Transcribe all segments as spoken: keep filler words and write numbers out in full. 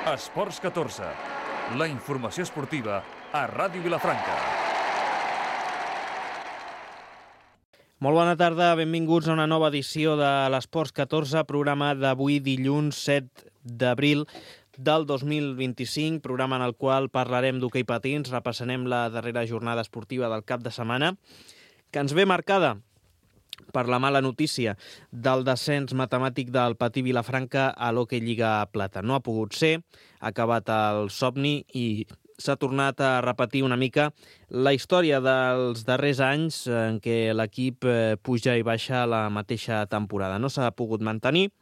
Esports catorze, la informació esportiva a Ràdio Vilafranca. Molt bona tarda, benvinguts a una nova edició de l'Esports catorze, programa d'avui dilluns set d'abril del dos mil vint-i-cinc, programa en el qual parlarem d'hoquei patins, repassarem la darrera jornada esportiva del cap de setmana, que ens ve marcada per la mala notícia del descens matemàtic del Patí Vilafranca a l'Hockey Lliga Plata. No ha pogut ser, ha acabat el somni i s'ha tornat a repetir una mica la història dels darrers anys en què l'equip puja i baixa la mateixa temporada. No s'ha pogut mantenir.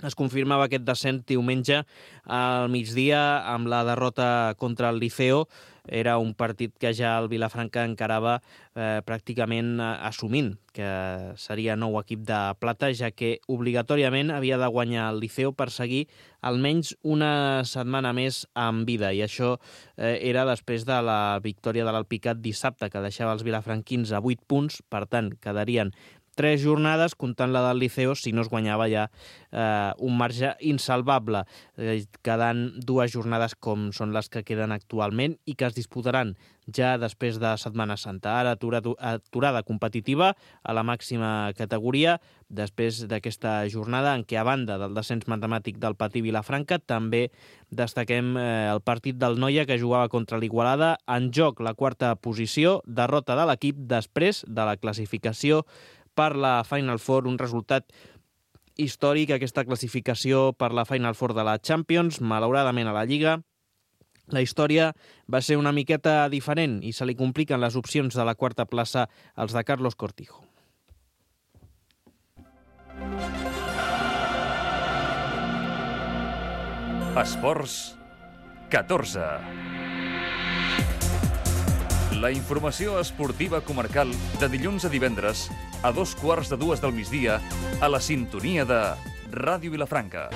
Es confirmava aquest descens diumenge al migdia amb la derrota contra el Liceo. Era un partit que ja el Vilafranca encarava eh, pràcticament assumint que seria nou equip de plata, ja que obligatòriament havia de guanyar el Liceo per seguir almenys una setmana més en vida. I això eh, era després de la victòria de l'Alpicat dissabte, que deixava els vilafranquins a vuit punts. Per tant, quedarien tres jornades, comptant la del Liceo, si no es guanyava ja eh, un marge insalvable, eh, quedant dues jornades com són les que queden actualment i que es disputaran ja després de Setmana Santa. Ara aturada, aturada competitiva a la màxima categoria, després d'aquesta jornada en què, a banda del descens matemàtic del Patí Vilafranca, també destaquem eh, el partit del Noia, que jugava contra l'Igualada, en joc la quarta posició, derrota de l'equip després de la classificació per la Final Four, un resultat històric, aquesta classificació per la Final Four de la Champions. Malauradament a la Lliga la història va ser una miqueta diferent i se li compliquen les opcions de la quarta plaça als de Carlos Cortijo. Esports catorze. La informació esportiva comarcal de dilluns a divendres a dos quarts de dues del migdia a la sintonia de Ràdio Vilafranca.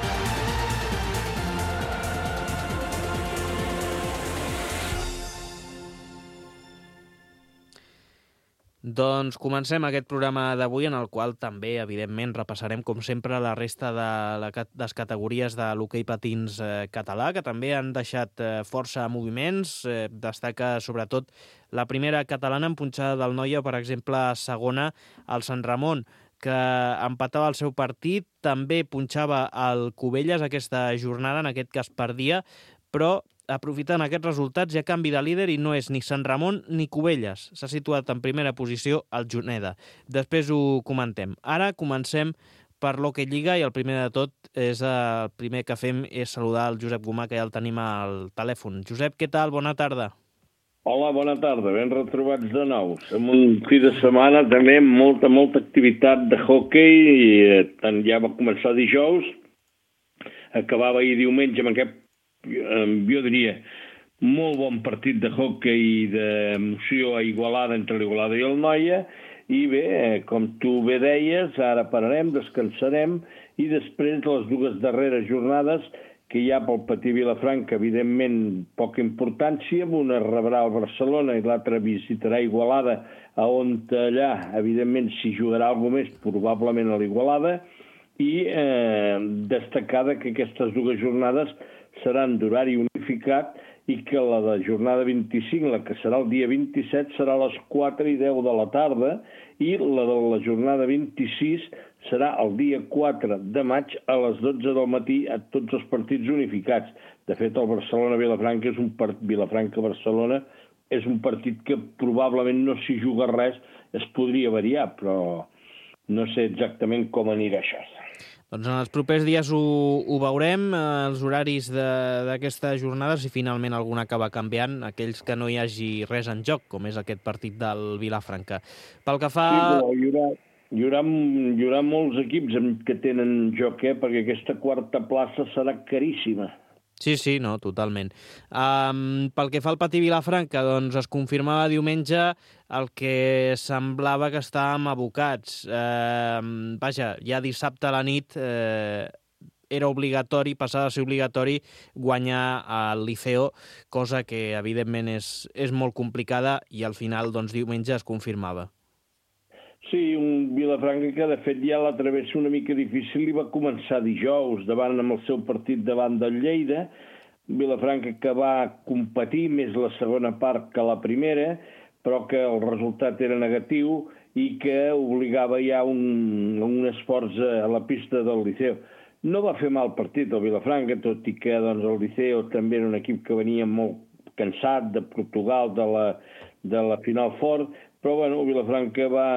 Doncs comencem aquest programa d'avui, en el qual també, evidentment, repassarem, com sempre, la resta de les categories de l'hoquei patins català, que també han deixat força moviments. Destaca, sobretot, la primera catalana en punxada del Noia, per exemple, segona, el Sant Ramon, que empatava el seu partit. També punxava el Cubelles aquesta jornada, en aquest cas perdia, però aprofitant aquests resultats hi ha canvi de líder i no és ni Sant Ramon ni Cubelles. S'ha situat en primera posició el Juneda. Després ho comentem. Ara comencem per l'Hockey Lliga i el primer de tot és el primer que fem és saludar el Josep Gomà, que ja el tenim al telèfon. Josep, què tal? Bona tarda. Hola, bona tarda. Ben retrobats de nou. Som un fi de setmana també amb molta, molta activitat de hockey i eh, tant ja va començar dijous, acabava ahir diumenge amb aquest, jo diria, molt bon partit de hockey d'emoció a Igualada, entre l'Igualada i el Noia, i bé, com tu bé deies, ara pararem, descansarem, i després de les dues darreres jornades que hi ha pel Patí Vilafranca, evidentment poca importància, una rebrà el Barcelona i l'altra visitarà Igualada, on allà, evidentment, s'hi jugarà alguna més, probablement a l'Igualada, i eh, destacada que aquestes dues jornades seran d'horari unificat i que la de jornada vint-i-cinc, la que serà el dia vint-i-set, serà a les quatre i deu de la tarda i la de la jornada vint-i-sis serà el dia quatre de maig a les dotze del matí a tots els partits unificats. De fet, el Barcelona-Vilafranca és un part... Vilafranca-Barcelona és un partit que probablement no s'hi juga res, es podria variar, però no sé exactament com anirà això. Doncs en els propers dies ho, ho veurem, els horaris d'aquesta jornada, si finalment alguna acaba canviant, aquells que no hi hagi res en joc, com és aquest partit del Vilafranca. Pel que fa... Sí, però hi haurà, hi haurà, hi haurà molts equips que tenen joc, eh? Perquè aquesta quarta plaça serà caríssima. Sí, sí, no, totalment. Um, pel que fa al Patí Vilafranca, doncs es confirmava diumenge el que semblava que estàvem abocats. Uh, vaja, ja dissabte a la nit eh, era obligatori, passava a ser obligatori guanyar al Liceo, cosa que evidentment és, és molt complicada i al final, doncs, diumenge es confirmava. Sí, un Vilafranca que de fet ja la travessa una mica difícil i va començar dijous davant amb el seu partit davant del Lleida Vilafranca que va competir més la segona part que la primera, però que el resultat era negatiu i que obligava ja un, un esforç a la pista del Liceo. No va fer mal partit el Vilafranca, tot i que doncs, el Liceo també era un equip que venia molt cansat de Portugal, de la, de la final fort, però bueno, Vilafranca va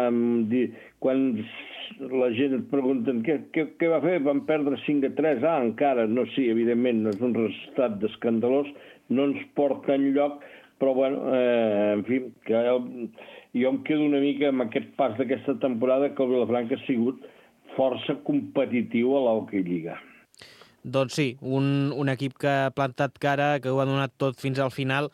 dir, quan la gent et pregunten què, què, què va fer, van perdre cinc a tres, ah, encara, no, sí, evidentment, no és un resultat escandalós, no ens porta enlloc, però bueno, eh, en fi, que el, jo em quedo una mica amb aquest pas d'aquesta temporada que el Vilafranca ha sigut força competitiu a l'Hockey Lliga. Doncs sí, un, un equip que ha plantat cara, que ho ha donat tot fins al final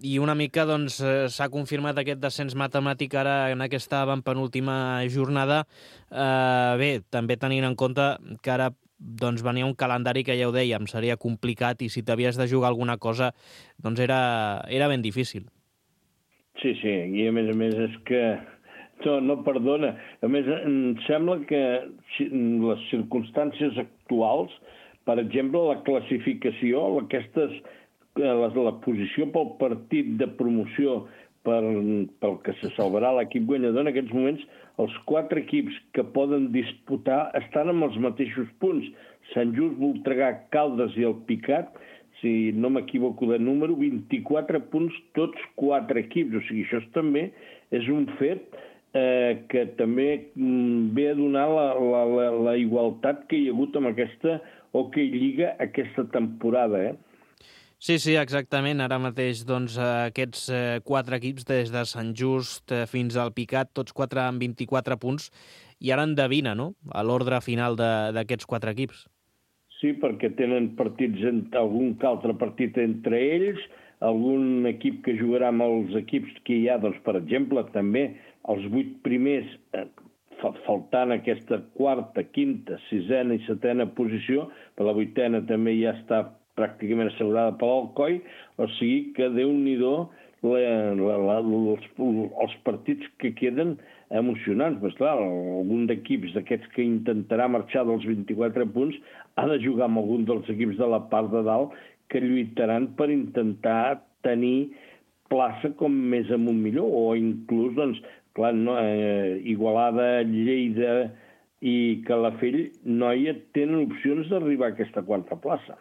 i una mica doncs, s'ha confirmat aquest descens matemàtic ara en aquesta penúltima jornada. Eh, bé, també tenint en compte que ara doncs, venia un calendari que ja ho dèiem, seria complicat i si t'havies de jugar alguna cosa doncs era, era ben difícil. Sí, sí, i a més a més és que no, no perdona. A més, em sembla que les circumstàncies actuals, per exemple, la classificació, aquestes, la, la posició pel partit de promoció per, pel que se salvarà l'equip guanyador, en aquests moments els quatre equips que poden disputar estan amb els mateixos punts. Sant Just, Voltregà, Caldes i el Picat, si no m'equivoco de número, vint-i-quatre punts tots quatre equips. O sigui, això també és un fet eh, que també ve a donar la, la, la, la igualtat que hi ha hagut amb aquesta Hockey Lliga aquesta temporada, eh? Sí, sí, exactament. Ara mateix doncs, aquests eh, quatre equips, des de Sant Just eh, fins al Picat, tots quatre amb vint-i-quatre punts, i ara endevina, no?, a l'ordre final d'aquests quatre equips. Sí, perquè tenen partits, algun altre partit entre ells, algun equip que jugarà amb els equips que hi ha, doncs, per exemple, també els vuit primers, eh, faltant aquesta quarta, quinta, sisena i setena posició, per la vuitena també ja està pràcticament assegurada per l'Alcoi, o sigui que Déu-n'hi-do la, la, la, els, els partits que queden emocionants. Però clar, algun d'equips d'aquests que intentarà marxar dels vint-i-quatre punts ha de jugar amb algun dels equips de la part de dalt que lluitaran per intentar tenir plaça com més amunt millor, o inclús, doncs, clar, no, eh, Igualada, Lleida i Calafell, Noia, tenen opcions d'arribar a aquesta quarta plaça.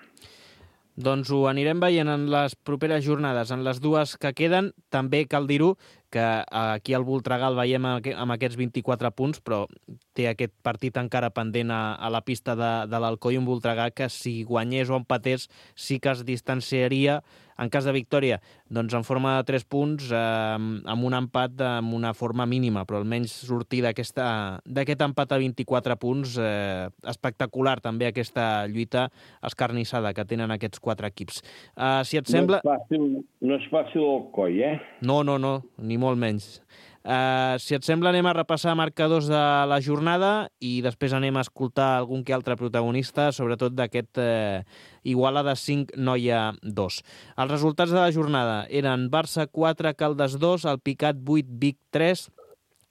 Doncs ho anirem veient en les properes jornades. En les dues que queden, també cal dir-ho que aquí al Voltregà el veiem amb aquests vint-i-quatre punts, però té aquest partit encara pendent a, a la pista de, de l'Alcoi, un Voltregà que si guanyés o empatés sí que es distanciaria, en cas de victòria, doncs en forma de tres punts, eh, amb un empat amb una forma mínima, però almenys sortir d'aquest empat a vint-i-quatre punts, eh, espectacular també aquesta lluita escarnissada que tenen aquests quatre equips. Uh, si et sembla... No és fàcil, no és fàcil el coi, eh? No, no, no, ni molt menys. Uh, si et sembla, anem a repassar marcadors de la jornada i després anem a escoltar algun que altre protagonista, sobretot d'aquest uh, Igualada cinc, Noia dos. Els resultats de la jornada eren Barça quatre, Caldes dos, el Picat vuit, Vic tres,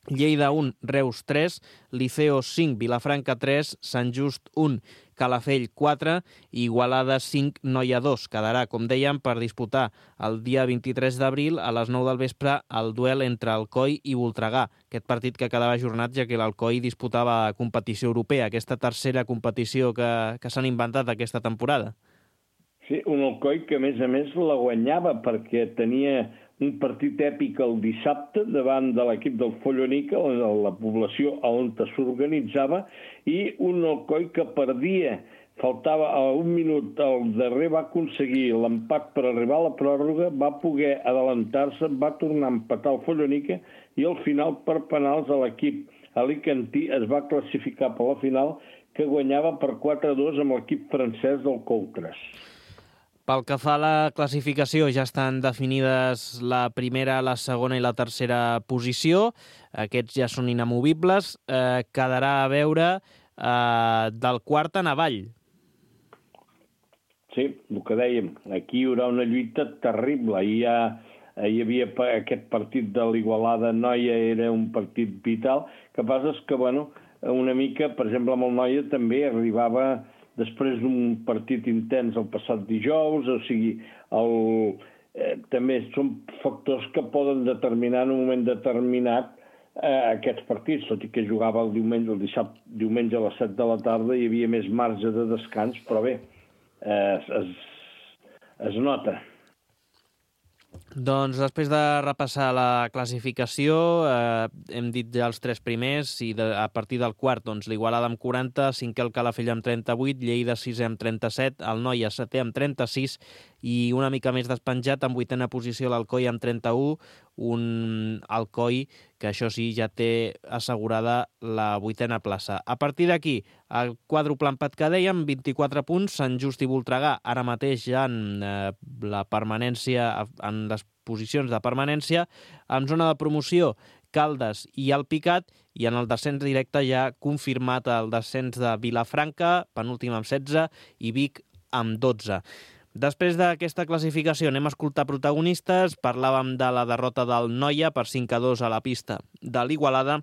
Lleida un, Reus tres, Liceo cinc, Vilafranca tres, Sant Just un, Calafell quatre i Igualada cinc, Noia dos. Quedarà, com dèiem, per disputar el dia vint-i-tres d'abril a les nou del vespre el duel entre Alcoi i Voltregà. Aquest partit que quedava ajornat ja que l'Alcoi disputava competició europea, aquesta tercera competició que, que s'han inventat aquesta temporada. Sí, un Alcoi que a més a més la guanyava perquè tenia un partit èpic el dissabte davant de l'equip del Follonica, la població on s'organitzava, i un Alcoi que perdia, faltava a un minut, el darrer va aconseguir l'empat per arribar a la pròrroga, va poder adelantar-se, va tornar a empatar el Follonica i al final per penals a l'equip alicantí es va classificar per la final que guanyava per quatre a dos amb l'equip francès del Coutres. Pel que fa a la classificació, ja estan definides la primera, la segona i la tercera posició. Aquests ja són inamovibles. Eh, quedarà a veure eh, del quart en avall. Sí, el que dèiem. Aquí hi haurà una lluita terrible. Ahir ja, hi havia aquest partit de l'Igualada Noia, era un partit vital. El que passa és que, bueno, una mica, per exemple, amb el Noia també arribava després d'un partit intens el passat dijous, o sigui, el, eh, també són factors que poden determinar en un moment determinat eh, aquests partits, tot i que jugava el diumenge, el dissabte, diumenge a les set de la tarda, hi havia més marge de descans, però bé, eh, es, es nota. Doncs després de repassar la classificació, eh, hem dit ja els tres primers, i de, a partir del quart, doncs l'Igualada amb quaranta, cinquè el Calafell amb trenta-vuit, Lleida sisè amb trenta-set, el Noia setè amb trenta-sis, i una mica més despenjat, en vuitena posició l'Alcoi amb trenta-u, un Alcoi que això sí ja té assegurada la vuitena plaça. A partir d'aquí, el quàdruple empat que dèiem, vint-i-quatre punts, Sant Just i Voltregà, ara mateix ja en eh, la permanència, en les posicions de permanència, en zona de promoció, Caldes i Alpicat, i en el descens directe ja confirmat el descens de Vilafranca, penúltim amb setze, i Vic amb dotze. Després d'aquesta classificació anem a escoltar protagonistes. Parlàvem de la derrota del Noia per cinc a dos a la pista de l'Igualada,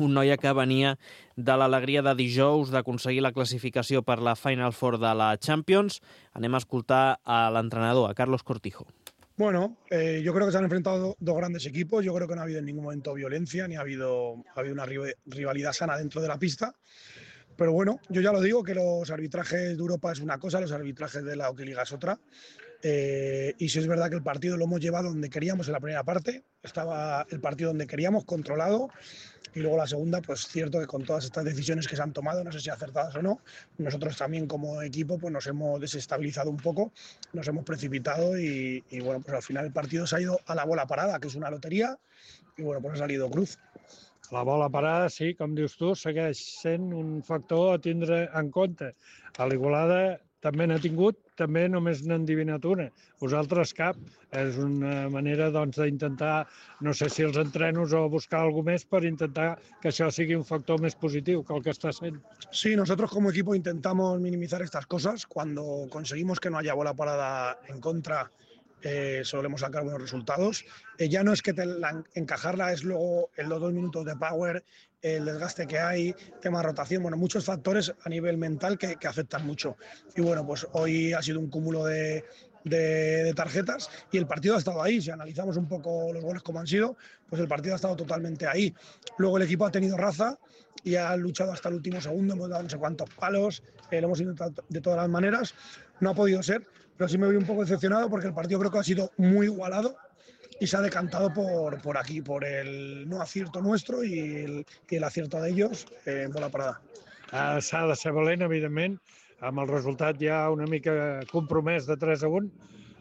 un Noia que venia de l'alegria de dijous d'aconseguir la classificació per la Final Four de la Champions. Anem a escoltar a l'entrenador, a Carlos Cortijo. Bueno, eh, yo creo que se han enfrentado dos grandes equipos. Yo creo que no ha habido en ningún momento violencia, ni ha habido, ha habido una rivalidad sana dentro de la pista. Pero bueno, yo ya lo digo, que los arbitrajes de Europa es una cosa, los arbitrajes de la Hockey Liga es otra. Eh, y si es verdad que el partido lo hemos llevado donde queríamos en la primera parte, estaba el partido donde queríamos, controlado, y luego la segunda, pues cierto que con todas estas decisiones que se han tomado, no sé si acertadas o no, nosotros también como equipo pues nos hemos desestabilizado un poco, nos hemos precipitado y, y bueno, pues al final el partido se ha ido a la bola parada, que es una lotería, y bueno, pues ha salido cruz. La bola parada, sí, com dius tu, segueix sent un factor a tindre en compte. A l'Igualada també n'ha tingut, també només n'han endivinat una. Vosaltres cap. És una manera doncs, d'intentar, no sé si els entrenos o buscar alguna més per intentar que això sigui un factor més positiu que el que està sent. Sí, nosotros como equipo intentamos minimizar estas cosas. Cuando conseguimos que no haya bola parada en contra, Eh, solemos sacar buenos resultados. Eh, ya no es que te la, encajarla, es luego en los dos minutos de power, el desgaste que hay, tema de rotación, bueno, muchos factores a nivel mental que, que afectan mucho. Y bueno, pues hoy ha sido un cúmulo de, de, de tarjetas y el partido ha estado ahí. Si analizamos un poco los goles como han sido, pues el partido ha estado totalmente ahí. Luego el equipo ha tenido raza y ha luchado hasta el último segundo, hemos dado no sé cuántos palos, eh, lo hemos intentado de todas las maneras, no ha podido ser, pero sí me voy un poco decepcionado porque el partido creo que ha sido muy igualado y se ha decantado por, por aquí, por el no acierto nuestro y el, y el acierto de ellos eh, en bola parada. Uh, S'ha de ser valent, evidentment, amb el resultat ja una mica compromès de tres a un.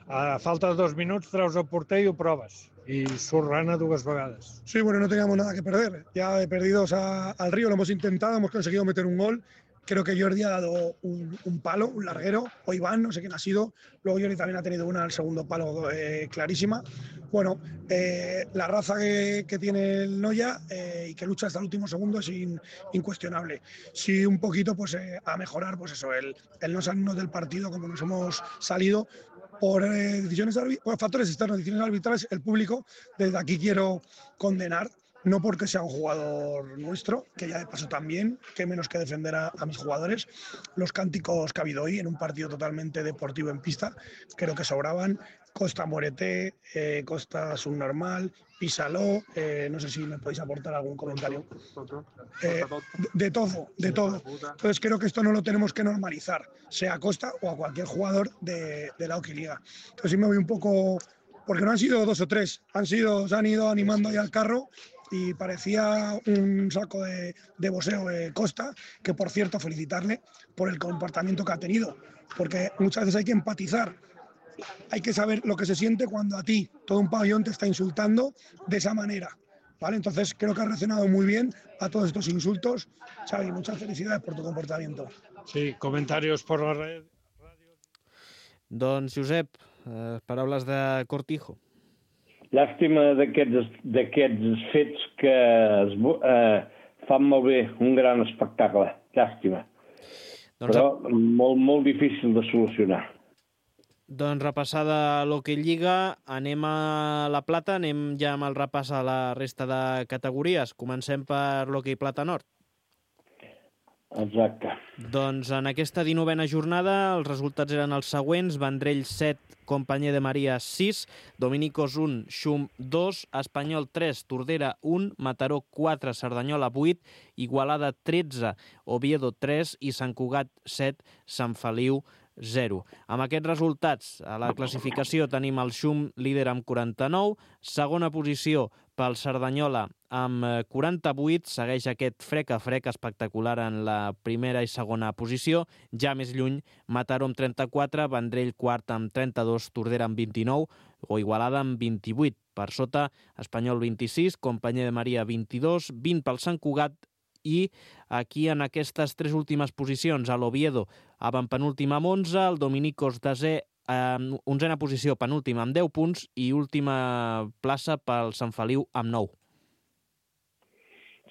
A falta de dos minuts treus el porter i ho proves. Y surt rana dues vegades. Sí, bueno, no teníamos nada que perder. Ya de perdidos a, al río lo hemos intentado, hemos conseguido meter un gol. Creo que Jordi ha dado un, un palo, un larguero, o Iván, no sé quién ha sido. Luego Jordi también ha tenido una al segundo palo eh, clarísima. Bueno, eh, la raza que, que tiene el Noia eh, y que lucha hasta el último segundo es in, incuestionable. Sí, un poquito pues eh, a mejorar, pues eso, el, el no salirnos del partido como nos hemos salido por, eh, decisiones, por factores externos, decisiones arbitrales. El público, desde aquí quiero condenar. No porque sea un jugador nuestro, que ya de paso también, que menos que defender a, a mis jugadores. Los cánticos que ha habido hoy en un partido totalmente deportivo en pista, creo que sobraban. Costa Morete, eh, Costa Subnormal, Písalo, eh, no sé si me podéis aportar algún comentario. Eh, de, de todo, de todo. Entonces creo que esto no lo tenemos que normalizar, sea a Costa o a cualquier jugador de, de la Hockey Liga. Entonces sí me voy un poco, porque no han sido dos o tres, han sido, se han ido animando ahí al carro. Y parecía un saco de, de boxeo de Costa, que por cierto felicitarle por el comportamiento que ha tenido, porque muchas veces hay que empatizar, hay que saber lo que se siente cuando a ti todo un pabellón te está insultando de esa manera, ¿vale? Entonces creo que has reaccionado muy bien a todos estos insultos. Xavi, muchas felicidades por tu comportamiento. Sí, comentarios por la red. Don Josep, eh, paraules de Cortijo. Llàstima d'aquests fets que es, eh, fan molt bé un gran espectacle. Llàstima. Doncs, però molt, molt difícil de solucionar. Doncs repassada l'Hockey Lliga, anem a la Plata, anem ja amb el repàs a la resta de categories. Comencem per l'Hockey Plata Nord. Exacte. Doncs en aquesta dinovena jornada els resultats eren els següents: Vendrell set, Companyer de Maria sis, Dominicos un, Xum dos, Espanyol tres, Tordera un, Mataró quatre, Cerdanyola vuit, Igualada tretze, Oviedo tres i Sant Cugat set, Sant Feliu zero. Amb aquests resultats, a la classificació tenim el Xum líder amb quaranta-nou, segona posició pel Cerdanyola amb quaranta-vuit, segueix aquest frec a frec espectacular en la primera i segona posició, ja més lluny Mataró amb trenta-quatre, Vendrell quart amb trenta-dos, Tordera amb vint-i-nou o Igualada amb vint-i-vuit. Per sota, Espanyol vint-i-sis, Companyer de Maria vint-i-dos, vint pel Sant Cugat, i aquí en aquestes tres últimes posicions, a l'Oviedo avantpenúltim amb onze, el Dominicos desè, eh, onzena posició penúltim amb deu punts i última plaça pel Sant Feliu amb nou.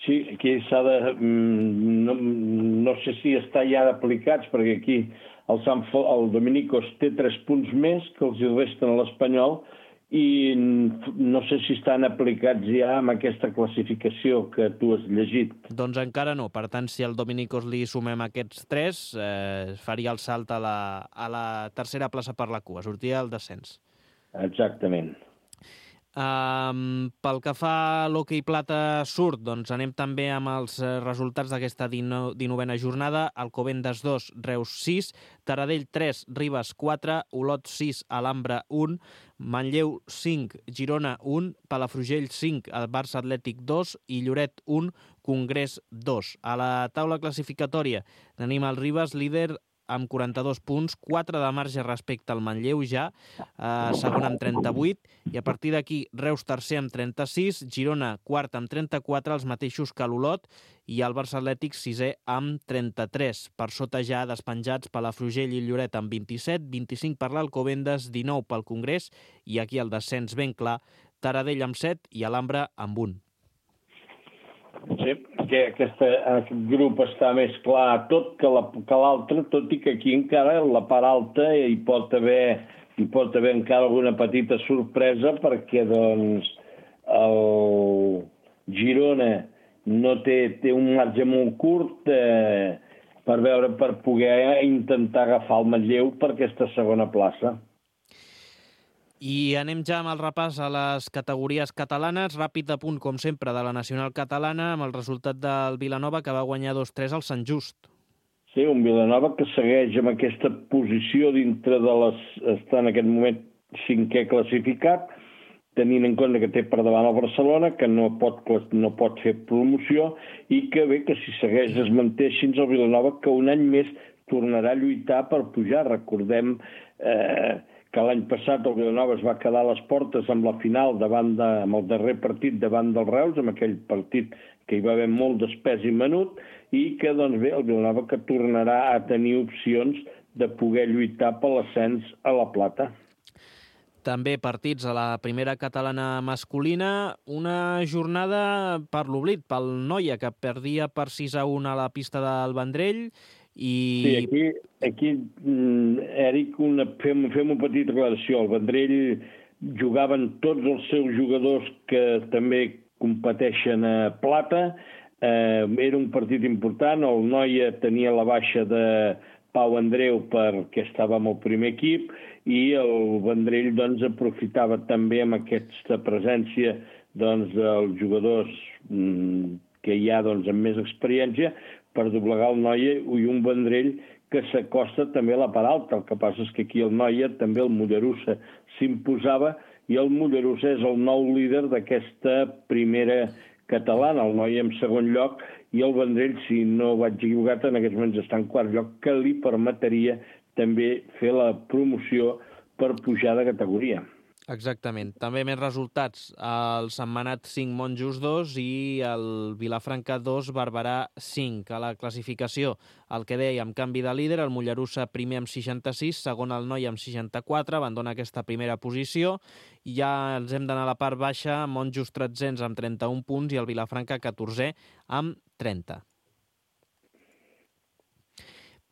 Sí, aquí s'ha de... No, no sé si està ja aplicats, perquè aquí el, Sant, el Dominicos té tres punts més que els resten a l'Espanyol i no sé si estan aplicats ja amb aquesta classificació que tu has llegit. Doncs encara no. Per tant, si al Dominicos li sumem aquests tres, eh, faria el salt a la, a la tercera plaça per la cua, sortia el descens. Exactament. Um, pel que fa a l'hoquei plata surt, doncs anem també amb els resultats d'aquesta dinovena jornada. Alcobendas dos, Reus sis, Taradell tres, Ribes quatre, Olot sis, Alhambra un, Manlleu cinc, Girona un, Palafrugell cinc, el Barça Atlètic dos i Lloret un, Congrés dos. A la taula classificatòria tenim el Ribes líder amb quaranta-dos punts, quatre de marge respecte al Manlleu ja, eh, segon amb trenta-vuit, i a partir d'aquí Reus tercer amb trenta-sis, Girona quart amb trenta-quatre, els mateixos que l'Olot, i el Barça Atlètic sisè amb trenta-tres. Per sota ja despenjats Palafrugell i Lloret amb vint-i-set, vint-i-cinc per l'Alcobendas, dinou pel Congrés, i aquí el descens ben clar, Taradell amb set i Alhambra amb un. Sí, que aquesta, aquest grup està més clar tot que l'altre, tot i que aquí encara la part alta hi pot haver, hi pot haver encara alguna petita sorpresa perquè doncs el Girona no té, té un marge molt curt eh, per veure, per poder intentar agafar el Manlleu per aquesta segona plaça. I anem ja amb el repàs a les categories catalanes. Ràpid apunt, com sempre, de la nacional catalana, amb el resultat del Vilanova, que va guanyar dos tres al Sant Just. Sí, un Vilanova que segueix amb aquesta posició dintre de les... està en aquest moment cinquè classificat, tenint en compte que té per davant el Barcelona, que no pot, no pot fer promoció, i que bé que si segueix es manté així el Vilanova, que un any més tornarà a lluitar per pujar. Recordem... Eh, que l'any passat el Vilanova es va quedar a les portes amb la final davant de, amb el darrer partit davant del Reus, amb aquell partit que hi va haver molt d'espès i menut, i que, doncs bé, el Vilanova que tornarà a tenir opcions de poder lluitar per l'ascens a la plata. També partits a la primera catalana masculina, una jornada per l'oblit, pel Noia, que perdia per sis a un a la pista del Vendrell. I... Sí, aquí, aquí Eric, una, fem, fem una petita aclaració. El Vendrell jugaven tots els seus jugadors que també competeixen a plata. Eh, era un partit important. El Noia tenia la baixa de Pau Andreu perquè estava amb el primer equip i el Vendrell doncs, aprofitava també amb aquesta presència doncs, dels jugadors mm, que hi ha doncs, amb més experiència per doblegar el Noia i un Vendrell que s'acosta també a la part alta. El que passa és que aquí el Noia, també el Mollerussa s'imposava i el Mollerussa és el nou líder d'aquesta primera catalana, el Noia en segon lloc i el Vendrell, si no vaig equivocat, en aquests moments està en quart lloc, que li permetria també fer la promoció per pujar de categoria. Exactament. També més resultats. El Sentmenat cinc, Monjos dos i el Vilafranca dos, Barberà cinc. A la classificació, el que deia, amb canvi de líder, el Mollerussa primer amb seixanta-sis, segon el Noia amb seixanta-quatre, abandona aquesta primera posició. I ja ens hem d'anar a la part baixa, Monjos tretzens amb trenta-un punts i el Vilafranca catorzè amb trenta.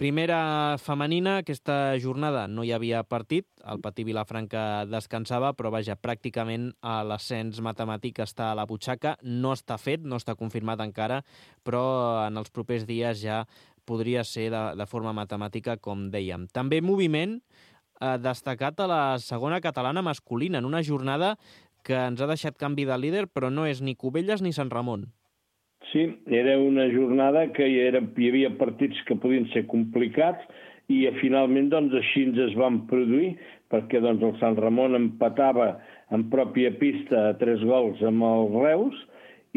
Primera femenina, aquesta jornada no hi havia partit, el Patí Vilafranca descansava, però vaja, pràcticament l'ascens matemàtic està a la butxaca, no està fet, no està confirmat encara, però en els propers dies ja podria ser de, de forma matemàtica, com dèiem. També moviment eh, destacat a la segona catalana masculina, en una jornada que ens ha deixat canvi de líder, però no és ni Cubelles ni Sant Ramon. Sí, era una jornada que hi, era, hi havia partits que podien ser complicats i finalment doncs, així ens es van produir, perquè doncs, el Sant Ramon empatava en pròpia pista a tres gols amb el Reus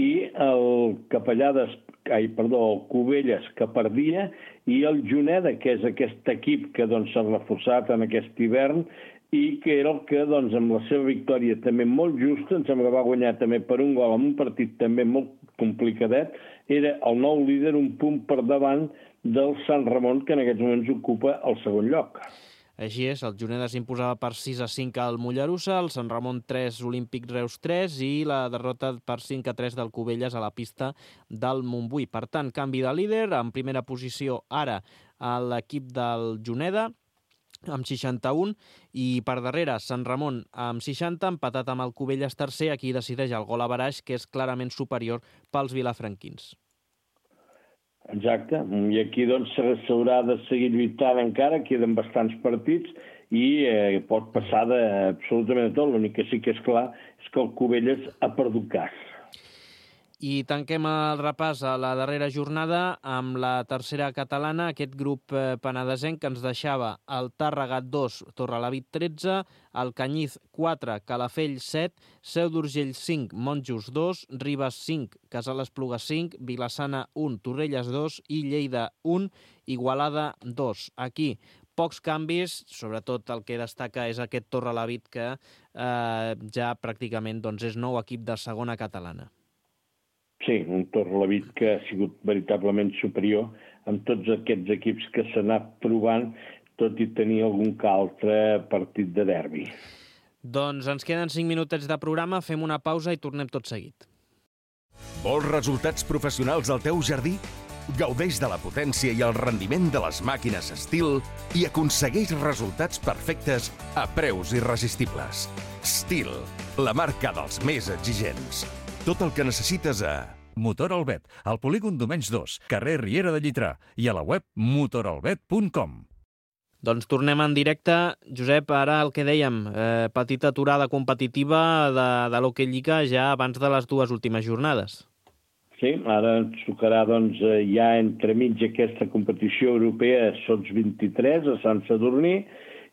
i el Capellades, ai, perdó, el Cubelles que perdia i el Juneda, que és aquest equip que doncs, s'ha reforçat en aquest hivern i que era el que, doncs, amb la seva victòria també molt justa, em sembla que va guanyar també per un gol en un partit també molt complicadet, era el nou líder un punt per davant del Sant Ramon, que en aquests moments ocupa el segon lloc. Així és, el Juneda s'imposava per sis a cinc al Mollerussa, el Sant Ramon tres, Olímpic Reus tres i la derrota per cinc a tres del Cubelles a la pista del Montbui. Per tant, canvi de líder, en primera posició ara a l'equip del Juneda, amb seixanta-un, i per darrere Sant Ramon amb seixanta, empatat amb el Cubelles tercer, aquí decideix el gol averaix, que és clarament superior pels vilafranquins. Exacte, i aquí doncs s'haurà de seguir lluitant encara, queden bastants partits i eh, pot passar de absolutament de tot, l'únic que sí que és clar és que el Cubelles ha perdut gas. I tanquem el repàs a la darrera jornada amb la tercera catalana, aquest grup penedesenc que ens deixava el Tàrrega dos, Torrelavit tretze, el Canyiz quatre, Calafell set, Seu d'Urgell cinc, Monjos dos, Ribes cinc, Casal Espluga cinc, Vilassana un, Torrelles dos i Lleida un, Igualada dos. Aquí pocs canvis, sobretot el que destaca és aquest Torrelavit que eh, ja pràcticament doncs, és nou equip de segona catalana. Sí, un Torrelavit que ha sigut veritablement superior amb tots aquests equips que s'ha anat trobant, tot i tenir algun que altre partit de derbi. Doncs ens queden cinc minutets de programa, fem una pausa i tornem tot seguit. Vols resultats professionals al teu jardí? Gaudeix de la potència i el rendiment de les màquines Stihl i aconsegueix resultats perfectes a preus irresistibles. Stihl, la marca dels més exigents. Tot el que necessites a... Motor Albet, al polígon Domenys dos, carrer Riera de Llitrà i a la web motor albet punt com. Doncs tornem en directe. Josep, ara el que dèiem, eh, petita aturada competitiva de, de l'Hockey Lliga ja abans de les dues últimes jornades. Sí, ara ens tocarà doncs, ja entremig aquesta competició europea Sots vint-i-tres a Sant Sadurní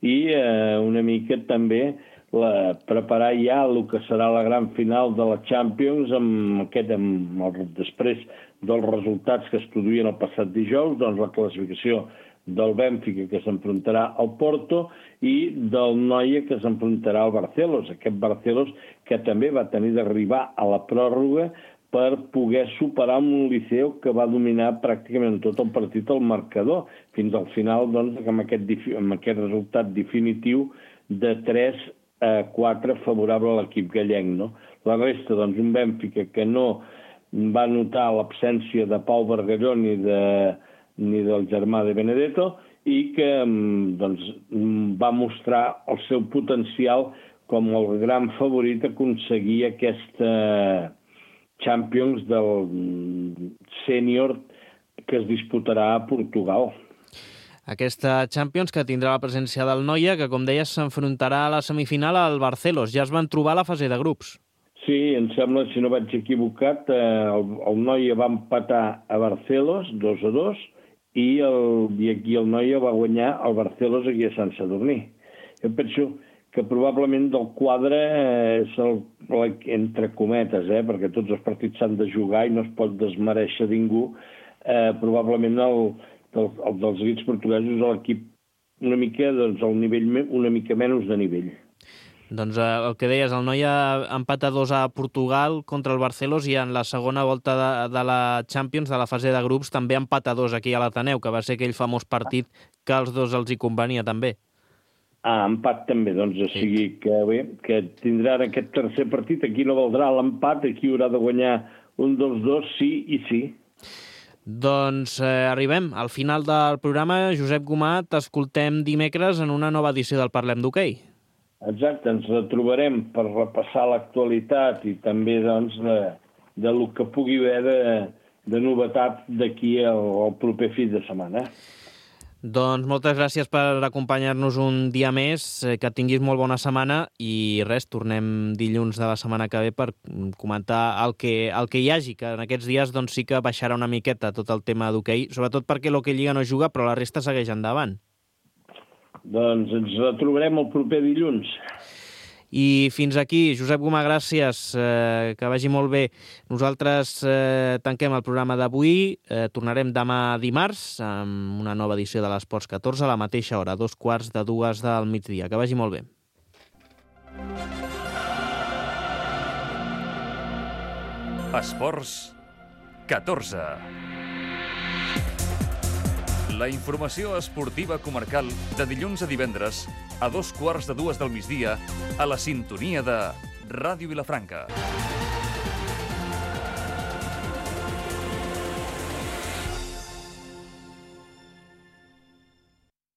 i eh, una mica també la, preparar ja el que serà la gran final de la Champions amb aquest, amb el, després dels resultats que es produïen el passat dijous, doncs la classificació del Bènfica que s'enfrontarà al Porto i del Noia que s'enfrontarà al Barcelos. Aquest Barcelos que també va tenir d'arribar a la pròrroga per poder superar un Liceu que va dominar pràcticament tot el partit al marcador, fins al final doncs, amb, aquest, amb aquest resultat definitiu de tres a quatre favorable a l'equip gallec. No? La resta, doncs, un Bènfica que no va notar l'absència de Pau Bargalló ni, de, ni del germà de Benedetto i que doncs, va mostrar el seu potencial com el gran favorit a aconseguir aquesta Champions del sènior que es disputarà a Portugal. Aquesta Champions que tindrà la presència del Noia, que com deies s'enfrontarà a la semifinal al Barcelos. Ja es van trobar a la fase de grups. Sí, em sembla, si no vaig equivocat, eh, el, el Noia va empatar a Barcelos dos a dos i, el, i aquí el Noia va guanyar el Barcelos aquí a Sant Sadurní. Jo penso que probablement del quadre és el, entre cometes, eh, perquè tots els partits s'han de jugar i no es pot desmereixer ningú, eh, probablement el, el, el dels equips portuguesos és l'equip una mica, doncs, el nivell, una mica menys de nivell. Doncs eh, el que deies, el Noia empata dos a Portugal contra el Barcelos i en la segona volta de, de la Champions, de la fase de grups, també empata dos aquí a l'Ateneu, que va ser aquell famós partit que als dos els hi convenia també. Ah, empat també, doncs, o sigui que bé, que tindran aquest tercer partit, aquí no valdrà l'empat, aquí haurà de guanyar un dels dos, sí i sí. Doncs eh, arribem al final del programa. Josep Gomà, t'escoltem dimecres en una nova edició del Parlem d'Hoquei. Exacte, ens retrobarem per repassar l'actualitat i també, doncs, de, de lo que pugui haver de, de novetat d'aquí al, al proper fi de setmana. Doncs moltes gràcies per acompanyar-nos un dia més, que tinguis molt bona setmana i res, tornem dilluns de la setmana que ve per comentar el que, el que hi hagi, que en aquests dies doncs, sí que baixarà una miqueta tot el tema d'hoquei, sobretot perquè l'Hoquei Lliga no juga, però la resta segueix endavant. Doncs ens retrobarem el proper dilluns. I fins aquí, Josep Gomà, gràcies, eh, que vagi molt bé. Nosaltres eh, tanquem el programa d'avui, eh, tornarem demà dimarts amb una nova edició de l'Esports catorze a la mateixa hora, dos quarts de dues del migdia. Que vagi molt bé. Esports catorze. La informació esportiva comarcal de dilluns a divendres a dos quarts de dues del migdia a la sintonia de Ràdio Vilafranca.